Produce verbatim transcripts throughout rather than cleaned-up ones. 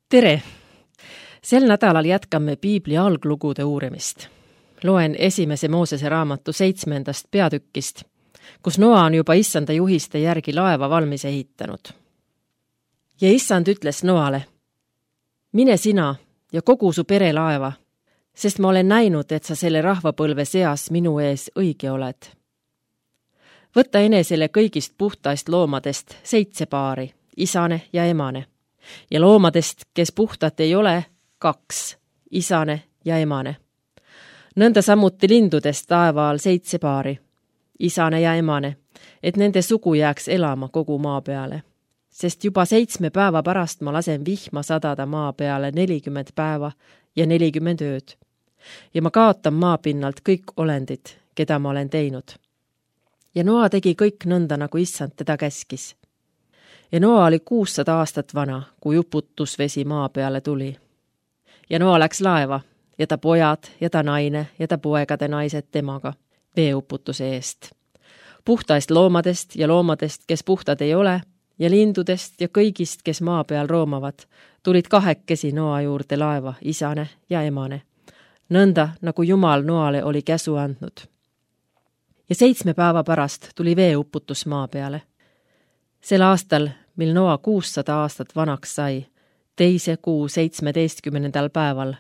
Tere! Sel nädalal jätkame Piibli alglugude uurimist. Loen esimese Moosese raamatu seitsmendast peatükkist, kus Noa on juba issanda juhiste järgi laeva valmis ehitanud. Ja issand ütles Noale, mine sina ja kogu su pere laeva, sest ma olen näinud, et sa selle rahvapõlve seas minu ees õige oled. Võta enesele kõigist puhtaist loomadest seitse paari, isane ja emane, ja loomadest, kes puhtat ei ole, kaks, isane ja emane. Nõnda samuti lindudest taevaal seitse paari, isane ja emane, et nende sugu jääks elama kogu maa peale. Sest juba seitsme päeva pärast ma lasen vihma sadada maa peale nelikümmend päeva ja nelikümmend ööd. Ja ma kaotan maapinnalt kõik olendid, keda ma olen teinud. Ja Noa tegi kõik nõnda, nagu issand teda käskis. Ja Noa oli kuussada aastat vana, kui uputusvesi maa peale tuli. Ja Noa läks laeva, ja ta pojad, ja ta naine, ja ta poegade naised temaga, veeuputuse eest. Puhtaist loomadest ja loomadest, kes puhtad ei ole, ja lindudest ja kõigist, kes maa peal roomavad, tulid kahekesi Noa juurde laeva, isane ja emane. Nõnda, nagu Jumal Noale oli käsu andnud. Ja seitsme päeva pärast tuli veeuputus maa peale. Sel aastal, mil Noa kuussada aastat vanaks sai, teise kuu seitsmeteistkümnendal päeval,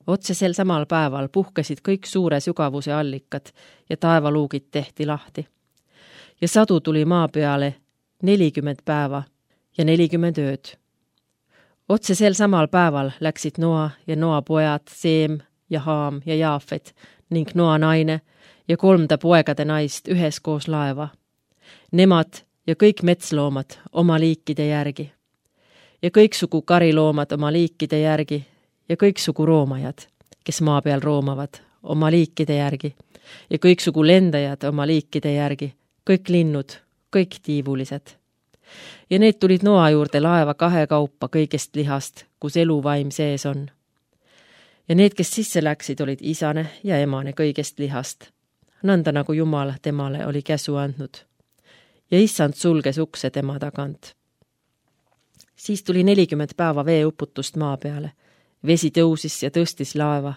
otse sel samal päeval puhkesid kõik suure sügavuse allikad ja taevaluugid tehti lahti. Ja sadu tuli maa peale nelikümmend päeva ja nelikümmend ööd. Otse sel samal päeval läksid Noa ja Noa pojad, Seem ja Haam ja Jaafet ning Noa naine ja kolmda poegade naist üheskoos laeva. Nemad ja kõik metsloomad oma liikide järgi. Ja kõiksugu kariloomad oma liikide järgi ja kõiksugu roomajad, kes maa peal roomavad, oma liikide järgi ja kõiksugu lendajad oma liikide järgi, kõik linnud, kõik tiivulised. Ja need tulid Noa juurde laeva kahe kaupa kõigest lihast, kus eluvaim sees on. Ja need, kes sisse läksid, olid isane ja emane kõigest lihast, nõnda nagu Jumal temale oli käsu andnud. Ja issand sulges ukse tema tagant. Siis tuli nelikümmend päeva veeuputust maa peale. Vesi tõusis ja tõstis laeva,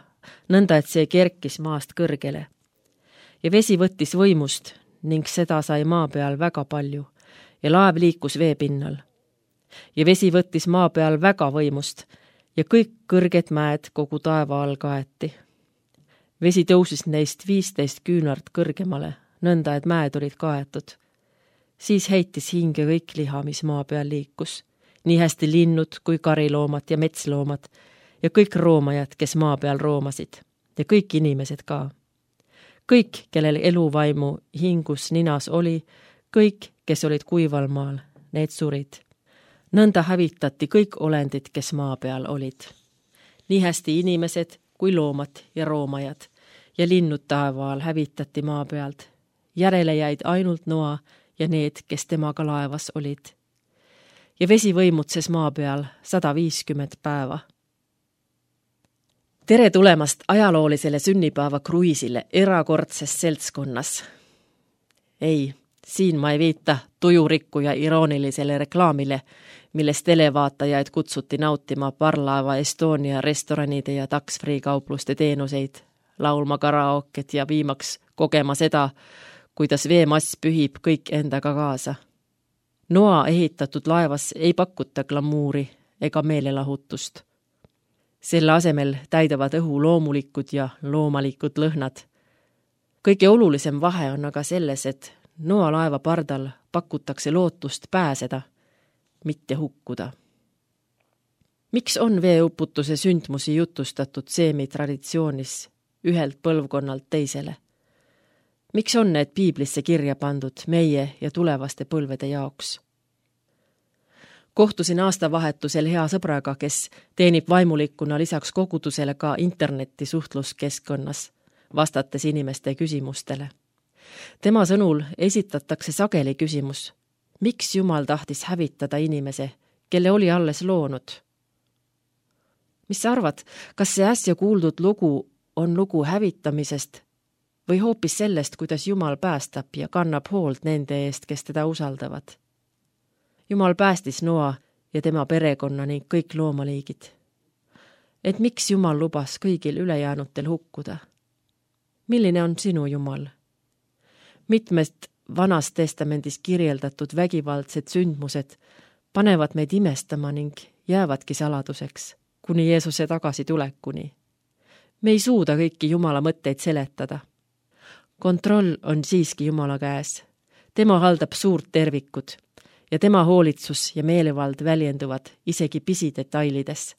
nõnda et see kerkis maast kõrgele. Ja vesi võttis võimust ning seda sai maa peal väga palju ja laev liikus veepinnal. Ja vesi võttis maa peal väga võimust ja kõik kõrged mäed kogu taeva all kaeti. Vesi tõusis neist viisteist küünart kõrgemale, nõnda et mäed olid kaetud. Siis heitis hinge kõik liha, mis maa peal liikus. Nii hästi linnud kui kariloomad ja metsloomad ja kõik roomajad, kes maa peal roomasid ja kõik inimesed ka. Kõik, kellel eluvaimu hingus ninas oli, kõik, kes olid kuival maal, need surid. Nõnda hävitati kõik olendid, kes maa peal olid. Nii hästi inimesed kui loomad ja roomajad ja linnud taevaal hävitati maa pealt. Järele jäid ainult Noa ja need, kes temaga laevas olid. Ja vesi võimutses maa peal sada viiskümmend päeva. Tere tulemast ajaloolisele sünnipäeva kruiisile erakordses seltskonnas. Ei, siin ma ei viita tujurikku ja iroonilisele reklaamile, milles televaatajaid kutsuti nautima parlaeva Estonia restoranide ja tax-free kaupluste teenuseid, laulma karaoket ja viimaks kogema seda, kuidas veemass pühib kõik endaga kaasa. Noa ehitatud laevas ei pakuta glamuuri ega meelelahutust. Selle asemel täidavad õhu loomulikud ja loomalikud lõhnad. Kõige olulisem vahe on aga selles, et Noa laeva pardal pakutakse lootust pääseda, mitte hukkuda. Miks on veeuputuse sündmusi jutustatud Seemi traditsioonis ühelt põlvkonnalt teisele? Miks on need piiblisse kirja pandud meie ja tulevaste põlvede jaoks? Kohtusin aastavahetusel hea sõbraga, kes teenib vaimulikuna lisaks kogudusele ka interneti suhtluskeskkonnas, vastates inimeste küsimustele. Tema sõnul esitatakse sageli küsimus, miks Jumal tahtis hävitada inimese, kelle oli alles loonud? Mis sa arvad, kas see äsja kuuldud lugu on lugu hävitamisest või hoopis sellest, kuidas Jumal päästab ja kannab hoolt nende eest, kes teda usaldavad? Jumal päästis Noa ja tema perekonna ning kõik loomaliigid, et miks Jumal lubas kõigil ülejäänutel hukkuda. Milline on sinu Jumal? Mitmest Vanas Testamendis kirjeldatud vägivaldsed sündmused panevad meid imestama ning jäävadki saladuseks, kuni Jeesuse tagasitulekuni. Me ei suuda kõiki Jumala mõtteid seletada. Kontroll on siiski Jumala käes. Tema haldab suurt tervikud ja tema hoolitsus ja meelevald väljenduvad isegi pisidetailides.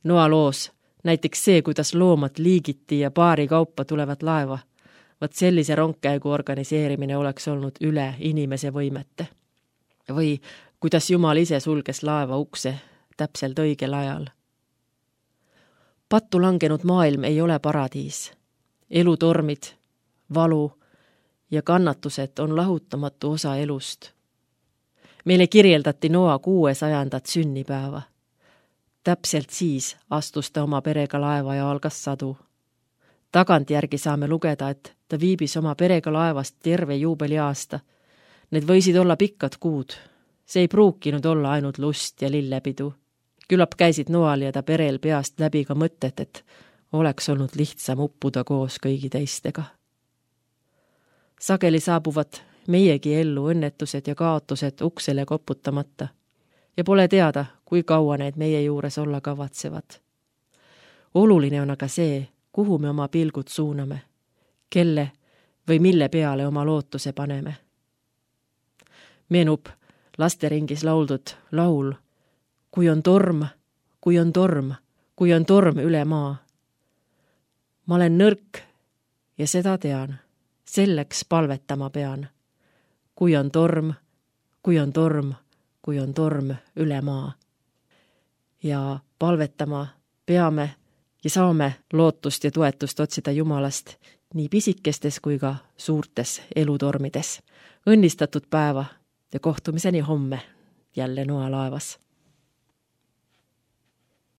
Noa loos, näiteks see, kuidas loomad liigiti ja paari kaupa tulevad laeva, vaat sellise rongkäigu organiseerimine oleks olnud üle inimese võimete. Või kuidas Jumal ise sulges laeva ukse täpselt õigel ajal. Pattu langenud maailm ei ole paradiis. Elutormid, valu ja kannatused on lahutamatu osa elust. Meile kirjeldati Noa kuuesajandat sünnipäeva. Täpselt siis astus ta oma perega laeva ja algas sadu. Tagantjärgi saame lugeda, et ta viibis oma perega laevast terve juubeliaasta. Need võisid olla pikkad kuud. See ei pruukinud olla ainult lust ja lillepidu. Küllap käisid Noal ja ta perel peast läbi ka mõtted, et oleks olnud lihtsam uppuda koos kõigi teistega. Sageli saabuvad meiegi ellu õnnetused ja kaotused uksele koputamata ja pole teada, kui kaua need meie juures olla kavatsevad. Oluline on aga see, kuhu me oma pilgud suuname, kelle või mille peale oma lootuse paneme. Meenub lasteringis lauldud laul, kui on torm, kui on torm, kui on torm üle maa. Ma olen nõrk ja seda tean, selleks palvetama pean. Kui on torm, kui on torm, kui on torm üle maa. Ja palvetama peame ja saame lootust ja toetust otsida Jumalast nii pisikestes kui ka suurtes elutormides. Õnnistatud päeva ja kohtumiseni homme jälle Noa laevas.